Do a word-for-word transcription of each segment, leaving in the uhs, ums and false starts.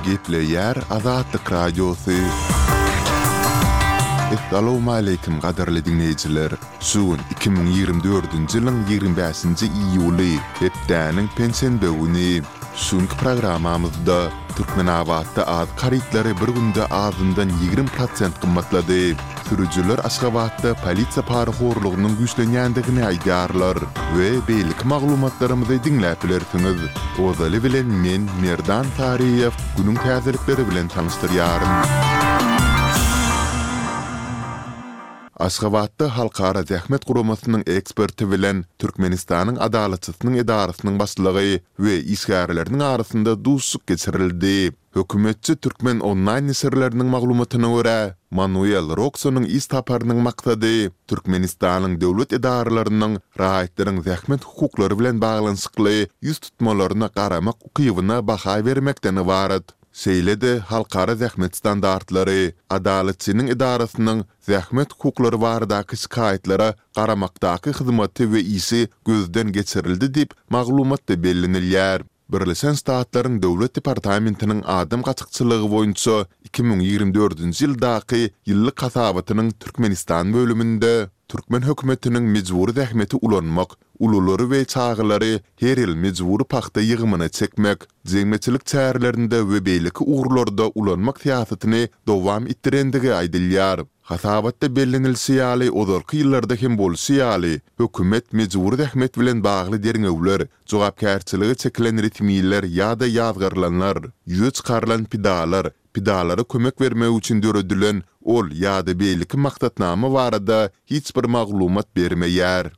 Gepleýär Azatlyk Radiosy. Essalawmaleýkim gadyrly diňleýjiler! Şu gün iki müň ýigrimi dördünji ýylyň ýigrimi bäşinji iýuly, hepdäniň penşenbe güni. Şu günki programmamyzda Türkmenabatda azyk harytlary bir günde azyndan ýigrimi prosent gymmatlady. Sürüjiler Aşgabatda polisiýa parahorlugynyň güýçlenýändigini aýdýarlar we beýleki maglumatlarymyzy diňläp bilersiňiz. Ozaly bilen men, Merdan Saryýew, günüň täzelikleri bilen tanyşdyrýaryn. Aşgabatda Halkara zähmet guramasynyň eksperti bilen Türkmenistanyň Adalatçysynyň edarasynyň başlygy we işgärleriniň arasynda duşuşyk geçirildi. Hökümetçi Türkmen onlaýn neşirleriniň maglumatyna görä, Manuel Roksonyň iş saparynyň maksady Türkmenistanyň döwlet edaralarynyň raýatlaryň zähmet hukuklary bilen baglanyşykly ýüz tutmalaryna garamak ukybyna baha bermekden ybarat. Şeýle-de halkara zähmet standartlary, Adalatçynyň edarasynyň zähmet hukuklary baradaky şikaýatlara garamakdaky hyzmaty we işi gözden geçirildi diýip, maglumatda bellenilýär. Birleşen Ştatlaryň Döwlet departamentiniň adam gaçakçylygy boýunça iki müň ýigrimi dördünji ýyldaky ýyllyk hasabatynyň Türkmenistan bölüminde türkmen hökümetiniň mejbury zähmeti ulanmak, ululary we çagalary her ýyl mejbury pagta ýygymyna çekmek, jemgyýetçilik çärelerinde we beýleki ugurlarda ulanmak syýasatyny dowam etdirendigi aýdylýar. Hasabatda bellenilişi ýaly, ozalky ýyllarda hem bolşy ýaly, hökümet mejbury zähmet bilen bagly derňewler, jogapkärçilige çekilen resmiler ýa-da ýazgarylanlar, ýüze çykarylan pidalar, pidalara kömek bermek üçin döredilen ol ýa-da beýleki maksatnama barada hiç bir maglumat bermeýär.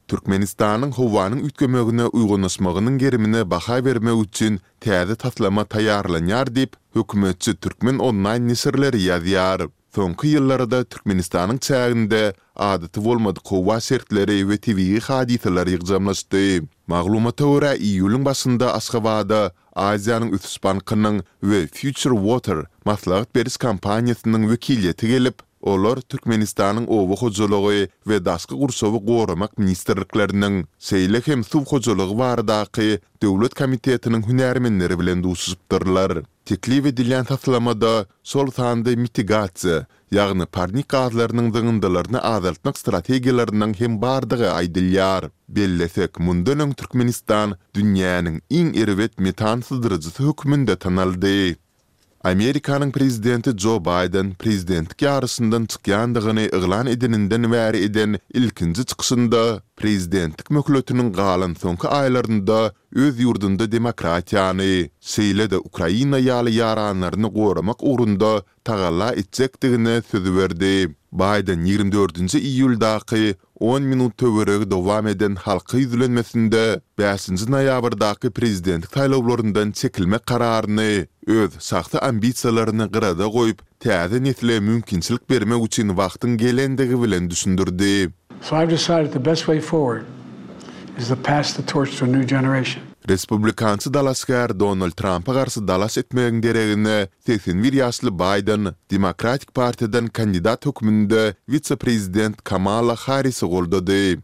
Türkmenistanyň howanyň üýtgemegine uýgunlaşmagynyň gerimine baha bermek üçin täze taslama taýýarlanýar diýip, hökümetçi Türkmen onlaýn neşirleri ýazýar. Soňky ýyllarda Türkmenistanyň çäginde adaty bolmadyk howa şertleri we tebigy hadysalar ýygjamlaşdy. Maglumata görä, iýulyň başynda Aşgabada Aziýanyň ösüş bankynyň we Future Water maslahat beriş kompaniýasynyň wekiliýeti gelip, olar Türkmenistanyň Oba hojalygy we Daşky gurşawy goramak ministrlikleriniň, şeýle hem Suw hojalygy baradaky döwlet komitetiniň hünärmenleri bilen duşuşypdyrlar. Teklip edilýän taslamada, şol sanda mitigasiýa, ýagny parnik gazlarynyň zyňyndylaryny azaltmak strategiýalarynyň hem bardygy aýdylýar. Bellesek, mundan öň Türkmenistan dünýäniň iň erbet metan syzdyryjysy hökmünde tanaldy. Amerikanyň prezidenti Jo Baýden prezidentlik ýaryşyndan çykýandygyny yglan edeninden bäri eden ilkinji çykyşynda prezidentlik möhletiniň galan soňky aýlarynda öz ýurdunda demokratiýany, şeýle-de Ukraina ýaly ýaranlaryny goramak ugrunda tagalla etjekdigine söz berdi. Baýden ýigrimi dördünji iýuldaky on minut töweregi dowam eden halka ýüzlenmesinde bäşinji noýabrdaky prezidentlik saýlawlaryndan çekilmek kararyny öz şahsy ambisiýalaryny gyrada goýup, täze nesle mümkinçilik bermek üçin wagtyň gelendigi bilen düşündirdi. So I've decided the best way forward is to pass the torch to a new generation. Respublikançy dalaşgär Donald Trampa garşy dalaş etmegiň deregine segsen bir ýaşly Baýden Demokratik partiýadan kandidat hökmünde wise-prezident Kamala Harrisi goldady.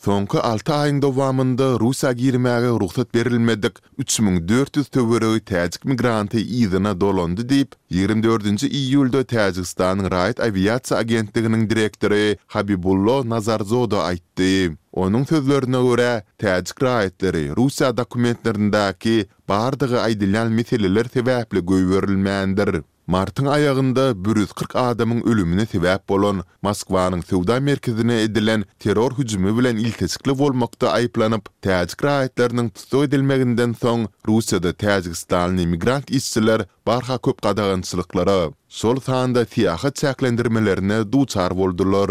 Soňky alty aýyň dowamynda Russiýa girmäge rugsat berilmedik üç müň dört ýüz töweregi täjik migranty yzyna dolandy diýip, ýigrimi dördünji iýulda Täjigistanyň raýat awiasiýa agentliginiň direktory Habibullo Nazarzoda aýtdy. Onuň sözlerine görä, täjik raýatlary Russiýa dokumentlerindäki bardygy aýdylýan meseleler sebäpli goýberilmändir. Martyň aýagynda bir ýüz kyrk adamyň ölümine sebäp bolan Moskwanyň söwda merkezine edilen terror hüjümi bilen ilteşikli bolmakda aýyplanyp, täjik raýatlarynyň tussag edilmeginden soň Russiýada täjigistanly migrant işçiler barha köp gadagançylyklara, şol sanda syýahat çäklendirmelerine duçar boldular.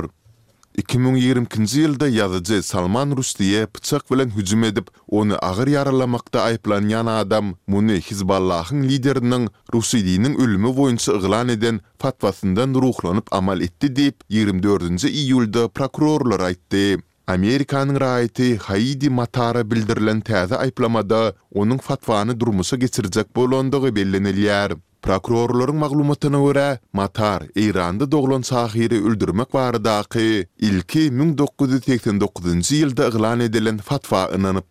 Iki müň ýigrimi ikinji ýylda ýazyjy Salman Ruşdiýe pyçak bilen hüjüm edip, ony agyr ýaralamakda aýyplanýan adam muny Hizballahyň lideriniň Ruşidiniň ölümi boýunça yglan eden fatwasyndan ruhlanyp amal etdi diýip, ýigrimi dördünji iýulda prokurorlar aýtdy. Amerikanyň raýaty Haidi Matara bildirilen täze aýyplamada onuň fatwany durmuşa geçirjek bolandygy bellenilýär. Prokurorlaryň maglumatyna görä, Matar Eýranda doglan şahyry öldürmek baradaky ilki müň dokuz ýüz segsen dokuzynjy ýylda yglan edilen fatwa ynanypdyr.